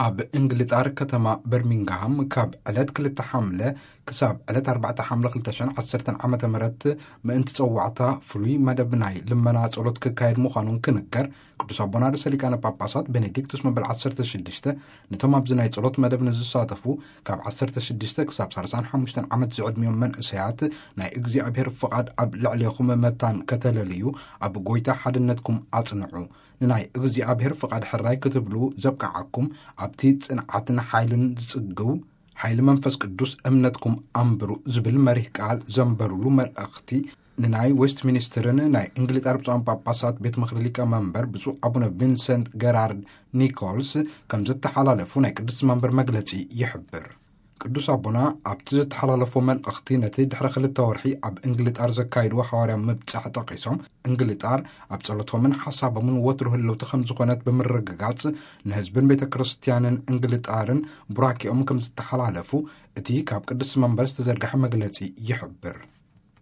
ኣብ እንግሊጣር ከተማ በርሚንግሃም ካብ ዕለት ክልተ ሓምለ ክሳብ ዕለት ኣርባዕተ ሓምለ ክልተ ሽሕን ዓሰርተን ዓመተ ምህረት ምእንቲ ጸዋዕታ ፍሉይ መደብ ናይ ልመና ጸሎት ክካየድ ምዃኑን ክንገር፣ ቅዱስ ኣቦና ርእሰ ሊቃነ ጳጳሳት ቤኔዲክቱስ መበል ዓሰርተ ሽዱሽተ ነቶም ኣብዚ ናይ ጸሎት መደብ ንዝሳተፉ ካብ ዓሰርተ ሽዱሽተ ክሳብ ሠላሳን ሓሙሽተን ዓመት ዝዕድሚዮም መንእሰያት ናይ እግዚኣብሔር ፍቓድ ኣብ ልዕሌኹም መታን ከተለልዩ ኣብ ጐይታ ሓድነትኩም ኣጽንዑ። ንናይ እግዚኣብሔር ፍቓድ ሕራይ ክትብሉ ዘብቅዓኩም ኣብቲ ጽንዓትን ሓይልን ዝጽግው ሓይሊ መንፈስ ቅዱስ እምነትኩም ኣንብሩ ዝብል መሪህ ቃል ዘንበሩሉ መልእኽቲ ንናይ ዌስትሚኒስትርን ናይ እንግሊጣር ብፁዓን ጳጳሳት ቤት ምኽሪ ሊቀ መንበር ብፁዕ ኣቡነ ቪንሰንት ገራርድ ኒኮልስ ከም ዘተሓላለፉ ናይ ቅድስቲ መንበር መግለጺ ይሕብር። ቅዱስ ኣቦና ኣብቲ ዘተሓላለፎ መልእኽቲ ነቲ ድሕሪ ክልተ ወርሒ ኣብ እንግሊጣር ዘካይድዎ ሓዋርያ ምብጻሕ ጠቒሶም፣ እንግሊጣር ኣብ ጸሎቶምን ሓሳቦምን ወትሩ ህልውቲ ከም ዝኾነት ብምርግጋጽ፣ ንህዝብን ቤተ ክርስቲያንን እንግሊጣርን ቡራኪኦም ከም ዝተሓላለፉ እቲ ካብ ቅድስቲ መንበር ዝተዘርግሐ መግለጺ ይሕብር።